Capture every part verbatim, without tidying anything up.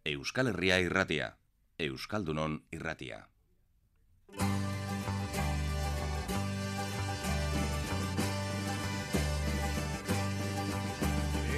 Euskal Herria irratia, Euskaldunon irratia.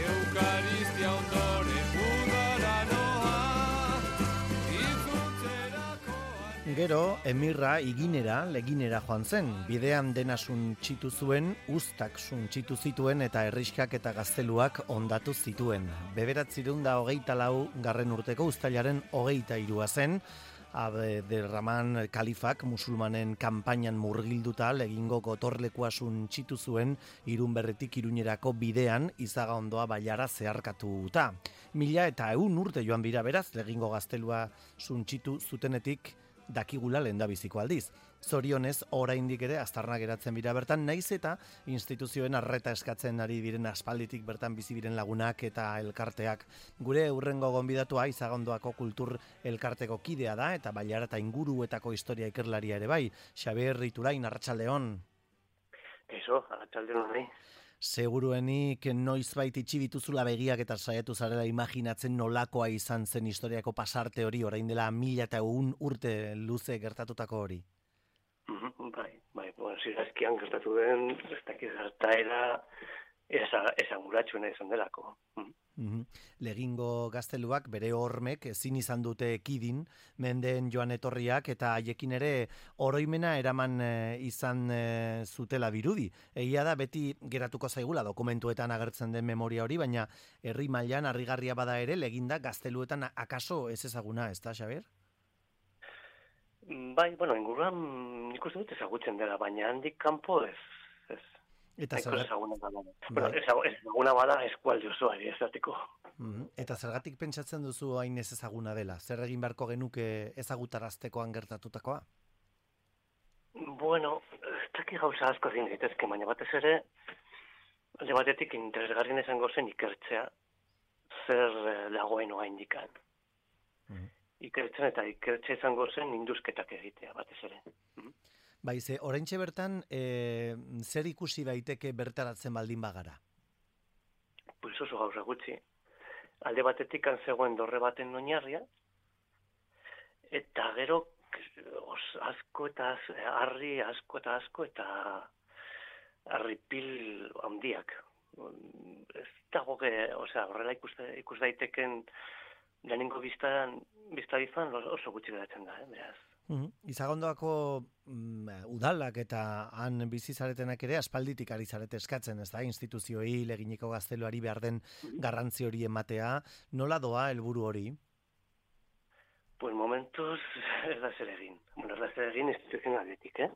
Eukaristia ondoren udara noa, itzultzerakoan. Gero, emirra iginera, leginera joan zen. Bidean dena suntxitu zuen, uztak suntxitu zituen eta herriskak eta gazteluak ondatu zituen. Bederatziehun eta hogeita lau garren urteko uztailaren hogeita hirua zen, Abderraman kalifak musulmanen kanpainan murgilduta legingo gotorlekua suntxitu zuen Irunberretik Iruñerako bidean izaga ondoa bailara zeharkatuta. Mila eta ehun urte joan bira beraz, legingo gaztelua suntxitu zutenetik dakigula lehendabiziko aldiz. Zorionez, oraindik ere aztarna geratzen bira bertan, naiz eta instituzioen arreta eskatzen ari diren aspalditik bertan bizi diren lagunak eta elkarteak. Gure hurrengo gonbidatua Izagondoako kultur elkarteko kidea da eta bailara eta inguruetako historia ikerlaria ere bai. Xabier Iturain, arratsaldeon. Eso, arratsaldeon nahi. Seguruenik noizbait itxi dituzula begiak eta saiatu zarela imaginatzen nolakoa izan zen historiako pasarte hori orain dela mila eta ehun urte luze gertatutako hori. Mm-hmm, bai, bai, bueno, zirazkian gertatu den, ez dakit gertaera esanguratsuena izan delako. Mm-hmm. Mm-hmm. Legingo gazteluak bere hormek ezin izan dute ekidin, mendeen joan etorriak eta haiekin ere oroimena eraman e, izan e, zutela birudi. Egia da beti geratuko zaigula dokumentuetan agertzen den memoria hori, baina herri mailan harrigarria bada ere leginda gazteluetan akaso ez ezaguna, ez da, Xabier? Bai, bueno, inguruan nik uste dut ezagutzen dela, baina handik kanpo ez, ez. Eta zergatik ezaguna bada. Bueno, ezaguna bada eskualde osoari ezateko. Mm-hmm. Eta zergatik pentsatzen duzu hain ez ezaguna dela? Zer egin beharko genuke ezagutaraztekoan gertatutakoa? Bueno, ez dakit gauza asko zin daitezke, baina batez ere alde batetik interesgarrien izango zen ikertzea zer dagoen oa indikan. Mm-hmm. Ikertzen eta ikertzea izango zen induzketak egitea batez ere. Mm-hmm. Bai, ze, oraintxe bertan, e, zer ikusi daiteke bertaratzen baldin bagara? Pues oso gauza gutxi. Alde batetik zegoen dorre baten oinarria, eta gero os, asko eta harri asko eta asko eta harripil handiak. Ez dago, osea, horrela ikus, ikus daiteken lehenengo biztan, biztan oso gutxi geratzen da, eh, beraz. Mm-hmm. Izagondoako mm, udalak eta han bizizaretenak ere aspalditik ari zarete eskatzen, ez da, instituzioei leginiko gazteluari behar den garrantzi hori ematea. Nola doa helburu hori? Pues momentuz ez da zer egin. Bueno, ez da zer egin instituzionaletik, eh?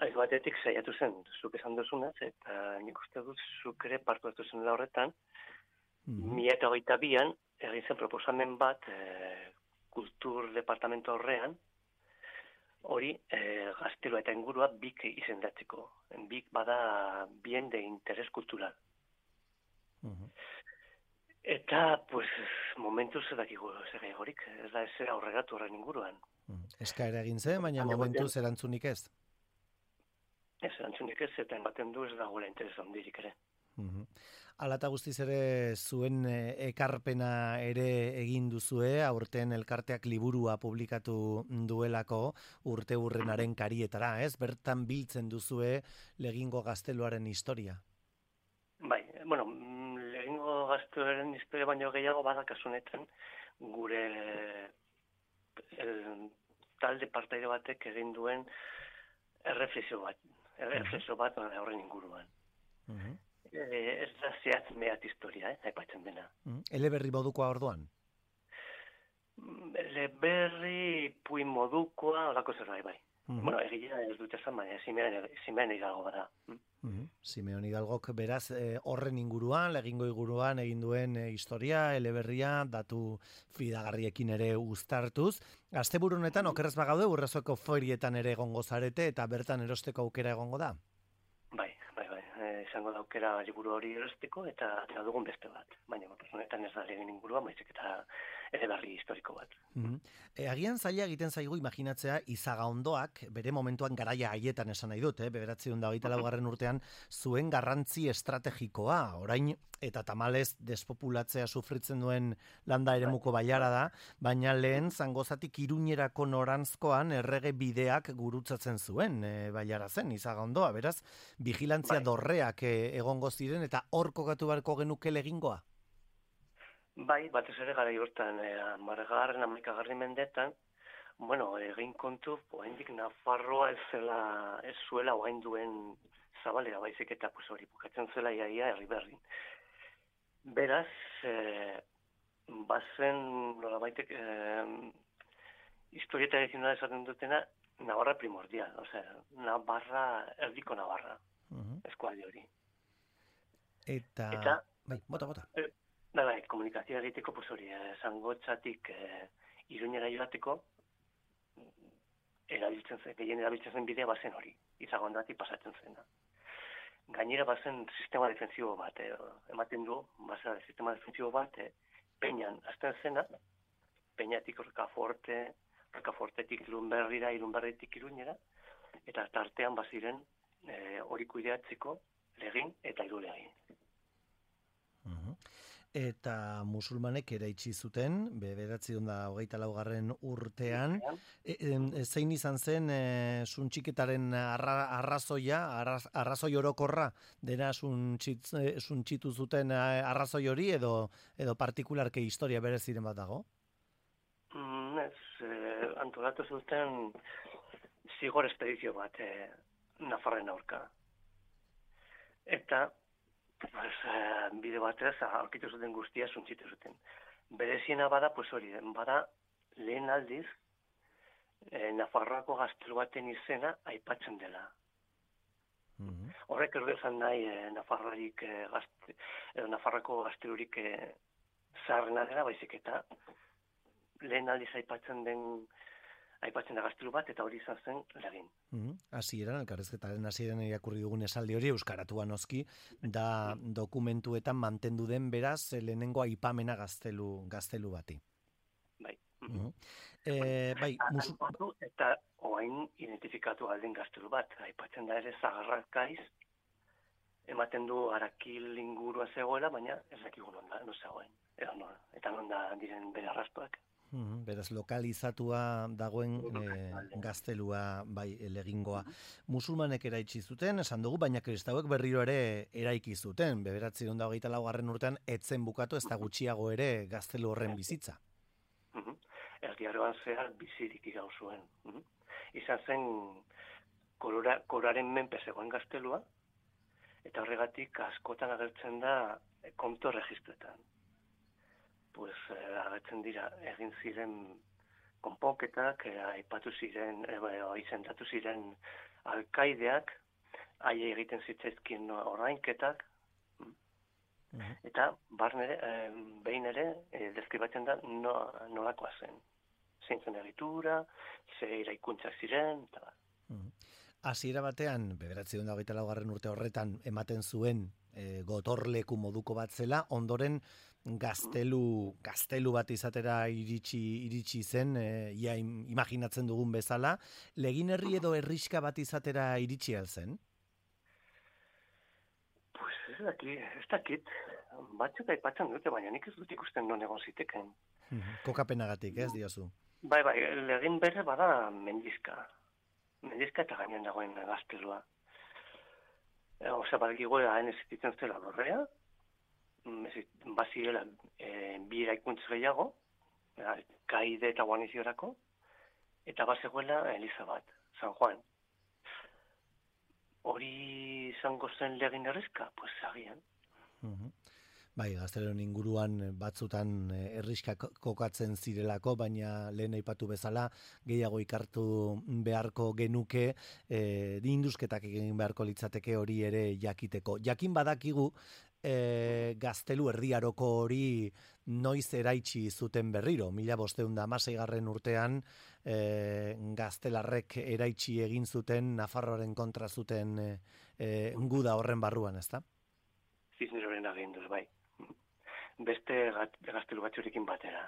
Aiz batetik saiatu zen, zuk esan duzunaz, eta nik uste dut zuk ere partu hartu zen horretan, mm-hmm. mila eta hogeita bian egin zen proposamen bat eh, kultur departamento horrean, hori eh, gaztelua eta ingurua bik izendatzeko. Bik bada bien de interes kultural. Uh-huh. Eta, pues, momentuz ez dakigu zer egorik, ez da ez aurreratu horren inguruan. Uh-huh. Eskaera egin zen, baina momentuz erantzunik ez? Ez, erantzunik ez, eta ematen du ez dagoela interes handirik ere. Uhum. Ala eta guztiz ere zuen ekarpena ere egin duzue, aurten elkarteak liburua publikatu duelako urte hurrenaren karietara, ez? Bertan biltzen duzue legingo gazteluaren historia. Bai, bueno, legingo gazteluaren historia baino gehiago bada kasunetan gure el, talde partaide batek egin duen erreflexio bat, erreflexio bat horren inguruan. Uh-huh. Eh, ez da zehatz mehat historia, eh, aipatzen dena. Mm. Eleberri modukoa orduan? Eleberri puin modukoa, olako zer bai, bai. Mm-hmm. Bueno, egila ez dut esan, baina Simeon Hidalgo bada. Mm-hmm. Simeon Hidalgok beraz eh, horren inguruan, legingo inguruan egin duen eh, historia, eleberria, datu fidagarriekin ere uztartuz. Asteburu honetan okerrez bagaude Urrezoko ferietan ere egongo zarete eta bertan erosteko aukera egongo da? Bai, bai, bai. Eh, izango da aukera liburu hori erosteko eta, eta dugun beste bat. Baina, honetan ez da legin ingurua, maizik eta eleberri historiko bat. Mm-hmm. E, agian zaila egiten zaigu imaginatzea Izagaondoak bere momentuan garaia haietan esan nahi dut, eh? bederatziehun eta hogeita laugarren urtean zuen garrantzi estrategikoa, orain eta tamalez despopulatzea sufritzen duen landa eremuko bailara da, baina lehen Zangozatik Iruñerako noranzkoan errege bideak gurutzatzen zuen e, bailara zen Izagaondoa, beraz, vigilantzia bai. dorreak e, egongo ziren eta hor kokatu beharko genuke legingoa? Bai, batez ere gara hortan, eh, amargarren, amaikagarren mendetan, bueno, egin kontu, oraindik Nafarroa ez zela, ez zuela orain duen zabalera baizik eta pues hori bukatzen zela iaia herri berrin. Beraz, eh, bazen, nolabaitek, eh, historieta tradizionala esaten dutena, Navarra primordial, osea, Navarra, erdiko Navarra, uh-huh. eskualde hori. Eta, eta bai, bota, bota. Eh, da, bai, komunikazioa egiteko, pues hori, eh, Zangotzatik eh, Iruñera joateko, erabiltzen zen, gehien erabiltzen zen bidea bazen hori, Izagondatik pasatzen zena. Gainera bazen sistema defensibo bat, eh, ematen du, bazen sistema defensibo bat, eh, Peñan azten zena, Peñatik Rocaforte, Rocafortetik Irunberrira, Irunberritik Iruñera, eta tartean baziren eh, hori kudeatzeko legin eta irulegin. Uh-huh. Eta musulmanek eraitsi zuten, bederatziehun eta hogeita laugarren urtean, e, e, zein izan zen e, suntxiketaren arra, arrazoia, arraz, arrazoi orokorra, dena suntxit, suntxitu zuten arrazoi hori, edo, edo partikularke historia bereziren bat dago? Mm, ez, eh, antolatu zuten zigor espedizio bat, eh, Nafarren aurka. Eta Pues, uh, bide batez, aurkitu zuten guztia suntzitu zuten. Bereziena bada, pues hori, bada lehen aldiz, eh, Nafarroako gaztelu baten izena aipatzen dela. Mm-hmm. Horrek erdu esan nahi, eh, Nafarroarik, eh, gazte, edo Nafarroako gaztelurik eh, zaharrena dela, baizik eta lehen aldiz aipatzen den aipatzen da gaztelu bat, eta hori izan zen legin. Mm-hmm. Hasieran, elkarrezketaren hasieran irakurri dugun esaldi hori, euskaratua noski, da dokumentuetan mantendu den beraz, lehenengo aipamena gaztelu, gaztelu bati. Bai. Mm-hmm. E, bai, musu... Eta oain identifikatu alden gaztelu bat, aipatzen da ere Zagarrakaiz, ematen du Arakil ingurua zegoela, baina ez dakigu non da, no zegoen, edo non, eta non da diren bere arrastoak. Hmm, beraz, lokalizatua dagoen e, gaztelua bai legingoa. Musulmanek eraitsi zuten, esan dugu, baina kristauek berriro ere eraiki zuten. Bederatziehun eta hogeita laugarren urtean etzen bukatu ez da gutxiago ere gaztelu horren bizitza. Uh-huh. Erdiaroan zehar bizirik irau zuen. Uh-huh. Izan zen korora, koraren menpe zegoen gaztelua, eta horregatik askotan agertzen da konto registroetan. Pues eh, agertzen dira egin ziren konponketak, eh, aipatu ziren, eh, izendatu ziren alkaideak, haie egiten zitzaizkien orainketak, uh-huh. eta barne, eh, behin ere, eh, deskribatzen da no, nolakoa zen. Zein zen egitura, ze iraikuntzak ziren, eta bat. Uh-huh. Hasiera batean, bederatziehun eta hogeita laugarren urte horretan ematen zuen e, gotorleku moduko bat zela, ondoren gaztelu, gaztelu bat izatera iritsi, iritsi zen, e, ia imaginatzen dugun bezala, legin herri edo herriska bat izatera iritsi alzen? Pues ez dakit, ez dakit, batzuk aipatzen dute, baina nik ez dut ikusten non egon ziteken. Kokapenagatik, ez diozu? Bai, bai, legin bere bada mendizka. Mendizka eta gainean dagoen gaztelua. E, Osa, balgigo haen ezititzen zela dorrea, bazirela e, bi eraikuntz gehiago, kaide eta guaniziorako, eta bazegoela Eliza bat, San Juan. Hori izango zen legin herrizka? Pues agian. Uh-huh. Bai, gazteleron inguruan batzutan herriska kokatzen zirelako, baina lehen aipatu bezala gehiago ikartu beharko genuke, e, induzketak egin beharko litzateke hori ere jakiteko. Jakin badakigu e, gaztelu erdiaroko hori noiz eraitsi zuten berriro. Mila bosteun da hamaseigarren urtean e, gaztelarrek eraitsi egin zuten Nafarroaren kontra zuten e, e, guda horren barruan, ezta? Zizneroren aginduz, bai. Beste gaztelu batzurekin batera.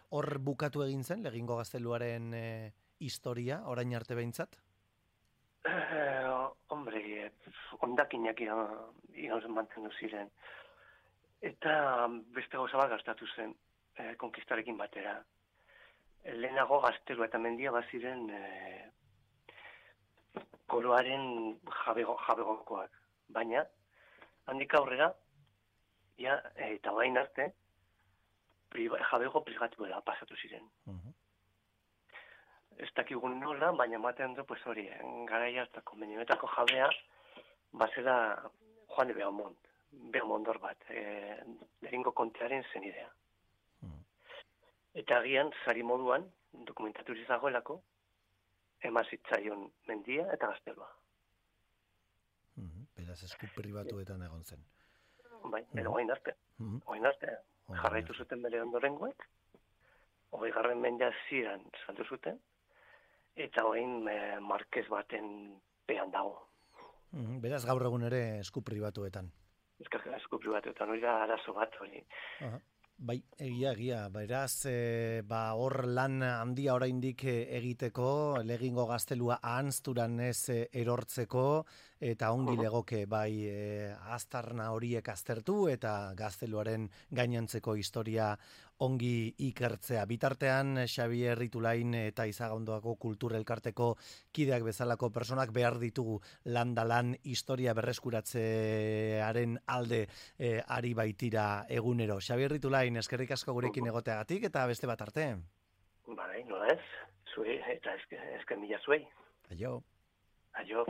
Hor bukatu egin zen, Legingo gazteluaren e, historia, orain arte behintzat? Eh, hombre, ondakinak iraun mantendu ziren. Eta beste gauza bat gastatu zen, eh, konkistarekin batera. Lehenago gaztelua eta mendia baziren eh, koroaren jabego, jabegokoak. Baina, handik aurrera, ja, eta bain arte, priva, jabego privatuela pasatu ziren. Uh-huh. Ez dakigun nola, baina ematen du, pues hori, garaia eta konbenioetako jabea, bazela Juan de Beaumont, Beaumontor bat, e, Legingo kontearen zenidea. Uh-huh. Eta agian, sari moduan, dokumentatu zagoelako, emazitzaion mendia eta gaztelua. Uh-huh. Beraz, esku pribatuetan egon zen. Bai, edo uh-huh. oain arte. Uh-huh. Oain arte, jarraitu zuten bere ondorengoek, hogei garren mendea ziren saldu zuten, eta oain e, markez baten pean dago. Uh-huh. Beraz, gaur egun ere esku pribatuetan. Esku pribatuetan, hori da arazo bat hori. Uh-huh. Bai, egia, egia. Beraz, e, ba, hor lan handia oraindik egiteko, Legingo gaztelua ahanzturan ez erortzeko, eta ongi legoke bai e, aztarna horiek aztertu, eta gazteluaren gainontzeko historia ongi ikertzea. Bitartean, Xabier Itulain eta Izagondoako Kultur Elkarteko kideak bezalako personak behar ditugu landa lan historia berreskuratzearen alde e, ari baitira egunero. Xabier Itulain, eskerrik asko gurekin egoteagatik eta beste bat arte. Bai, nola ez, zuei, eta esken mila zuei. Aio. Aio.